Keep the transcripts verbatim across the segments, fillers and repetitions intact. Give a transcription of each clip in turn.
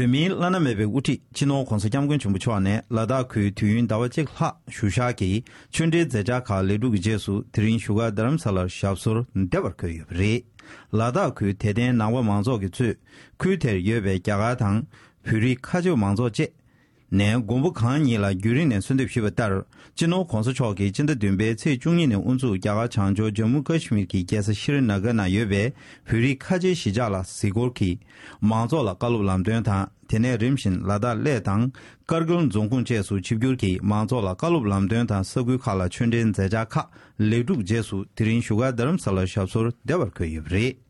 བོད་མིའི་བླ་ན་མེད་པའི་དབུ་ཁྲིད་སྤྱི་ནོར་༧གོང་ས་༧སྐྱབས་མགོན་ཆེན་པོ་མཆོག་ནས་ལ་དྭགས་ཁུལ་དུས་ཡུན་ཟླ་བ་གཅིག་ལྷག་བཞུགས་ཞག་གི་ཆོས་འབྲེལ་མཛད་འཆར་ཁག་ལེགས་གྲུབ་ཀྱི་རྗེས་སུ་དེ་རིང་བཞུགས་སྒར་རྡ་རམ་ས་ལར་ཞབས་སོར་བདེ་བར་འཁོད་ཡོད་པ་རེད། ལ་དྭགས་ཁུལ་དད་ལྡན་ནང་པ་མང་ཚོགས་ཀྱིས་གཙོས་ཁུལ་དེར་ཡོད་པའི་རྒྱ་གར་དང་བོད་རིགས་ཁ་ཆེ་མང་ཚོགས་བཅས། ནས་མགོན་པོ་གང་ཉིད་ལ་རྒྱུན་རིང་ནས་གསོལ་འདེབས་ཞུས་པ་ལྟར། སྤྱི་ནོར་༧གོང་ས་མཆོག་གིས་སྤྱི་ཟླ་བདུན་པའི་ཚེས་བཅུ་གཉིས་ནས་དབུ་འཛུགས་རྒྱ་གར་བྱང་ཕྱོགས་ཇམ་མུ་ཀ་ཤི་མིར་གྱི་རྒྱལ་ས་ཤི་རི་ན་གྷར་ནང་ཡོད་པའི་བོད་རིགས་ཁ་ཆེའི་གཞིས་ཆགས་ལ་གཟིགས་སྐོར་གྱིས། མང་ཚོགས་ལ་བཀའ་སློབ་ལམ་སྟོན་དང་། དེ་ནས་རིམ་བཞིན་ལ་དྭགས་གླེ་དང་ཀར་གིལ་རྫོང་ཁོངས་བཅས་སུ་ཆིབས་བསྒྱུར་གྱིས་མང་ཚོགས་ལ་བཀའ་སློབ་ལམ་སྟོན་དང་ས་ཁུལ་ཁག་ལ་ཆོས་འབྲེལ་མཛད་འཆར་ཁག་ལེགས་གྲུབ་རྗེས་སུ་དེ་རིང་བཞུགས་སྒར་རྡ་རམ་ས་ལར་ཞབས་སོར་བདེ་བར་འཁོད་ཡོད་པ་རེད།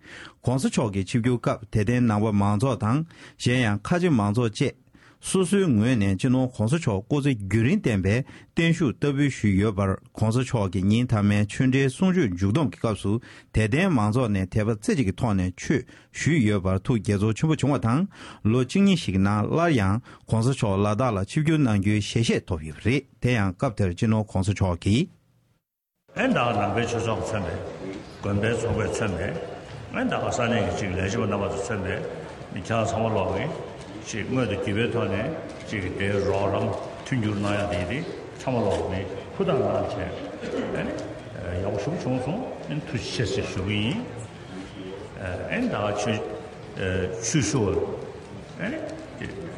༸གོང་ས་མཆོག་གི་ཆིབས་བསྒྱུར་སྐབས་དད་ལྡན་ནང་པ་མང་ཚོགས་དང་གཞན་ཡང་ཁ་ཆེ་མང་ཚོགས་བཅས། སོ་སོའི་ངོས་ནས་སྤྱི་ནོར་༸གོང་ས་མཆོག་སྐུ་ཚེ་རྒྱུན་རིང་བརྟན་པའི་བརྟན་བཞུགས་བསྟར་འབུལ་ཞུས་ཡོད་པར། ༸གོང་ས་མཆོག་གིས་ཉིན་མཐའ་མའི་ཆོས་འབྲེལ་གསུང་ཆོས་མཇུག་བསྡོམས་ཀྱི་སྐབས་སུ་དད་ལྡན་མང་ཚོགས་ནས་དད་པ་རྩེ་གཅིག་གི་ཐོག་ནས་ཆོས་ཞུས་ཡོད་པར་ཐུགས་དགྱེས་ཚོར་ཆེན་པོ་བྱུང་བ་དང་། ལོ་གཅིག་གཉིས་ཤིག་གི་ནང་སླར་ཡང་༸གོང་ས་མཆོག་ལ་དྭགས་ལ་ཆིབས་བསྒྱུར་གནང་རྒྱུའི་ཞལ་བཞེས་ཐོབ་ཡོད་པ་རེད། དེ་ཡང་སྐབས་དེར་སྤྱི་ནོར་༸གོང་ས་མཆོག་གིས། ཨེ་ད་ནང་པའི་ཆོས་ཚོགས་མཚོན་པའི་དགོན་པའི་ཚོགས་པས་མཚོན་པའི་ཨེ་ད་ས་གནས་ཀྱི་ཅིག་ལས་བྱེད་པ་རྣམ་པ་ཚོ་མཚོན་པའི་མི་ཁྱེད་རང་ཚང་མ་ལོག་གི་ཅིག་དངོས་དང་བརྒྱུད་པའི་ཐོག་ནས་ཅིག་གི་དེའི་རོགས་རམ་མཐུན་འགྱུར་གནང་ཡ་དེ་དེ་ཚང་མ་ལོག་ནས་ཧུར་ཐག་གནང་བྱས་ཨེ་ནི་ཡག་པོ་ཞེ་པོ་བྱུང་སོང་། ཨེ་ནི་ཐུགས་རྗེ་ཆེ་ཞེས་ཞུ་གི་ཡིན། ཨེ་ནི་ད་ཆོས་ཆོས་ཞུ་བ་ཨེ་ནི་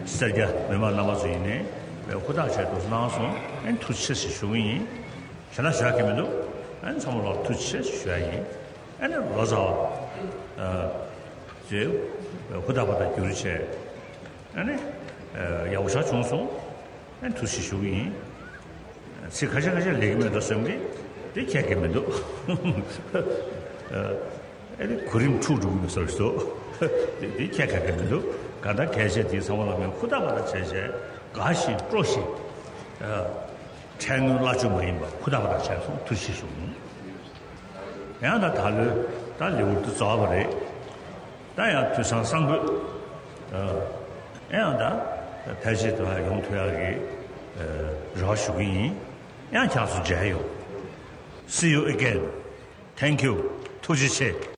སེར་སྐྱ་མི་མང་རྣམ་པ་ཚོ་ཡིན་ནའི་ཧུར་ཐག་བྱས་འདུག་གནང་སོང་། ཨེ་ནི་ཐུགས་རྗེ་ཆེ་ཞེས་ཞུ་གི་ཡིན། ཞེ་ན་ཞུ་ཡ་གི་མི་འདུག་ཨ་ནི་ཚང་མ་ལོག་ཐུགས་རྗེ་ཆེ་ཞུ་ཡ་ཡིན། ཨ་ནི་ལོ་ཙཱ་བ་ཨ་ཚོས་ཧུར་ཐག་པ་དང་བསྒྱུར་བྱས་ཨ་ནི་ཡག་པོ་ཞེ་བྱུང་སོང་། ཨ་ནི་ཐུགས་རྗེ་ཆེ་ཞུ་གི་ཡིན། ཚིག་ཁ་ཤས་ཁ་ཤས་ལེགས་ཀྱི་མེད་འགྲོ་བསམ་གི་དེ་ཁྱད་ཀྱི་མི་འདུག་ཨ་ནི་གོ་རིམ་འཁྲུག་འགྲོ་གི་མེད་བཟོ་ཞིག་འདུག་དེ་དེ་ཁྱད་ཁ་གི་མི་འདུག་ག་ད་གལ་ཆེ་དེ་ཚང་མ་ལ་མེད་ཧུར་ཐག་པ་དང་བྱས་བྱས་དགའ་ཞིང་སྤྲོ་ཞིང་། ཨ། ཁྲལ་དངུལ་གླ་ཆུ་མ་ཡིན་པ་ཧུར་ཐག་པ་དང་བྱས་སོང་། ཐུགས་རྗེ་ཆེ་ཞུ། ཡང་ད་ད་ལོའི་ད་ལེའུ་དེ་རྫོགས་པ་རེད། ད་ཡང་དུས་སང་སང་དགོས། ཨ། ཡང་ད་ཕལ་ཆེར་དུ་ཡོང་ཐུབ་ཡག་གི་རེ་བ་ཞུ་གི་ཡིན། ཡང་ཁྱེད་ཚོ་མཇལ་ཡོང་། See you again. Thank you. ཐུགས་རྗེ་ཆེ།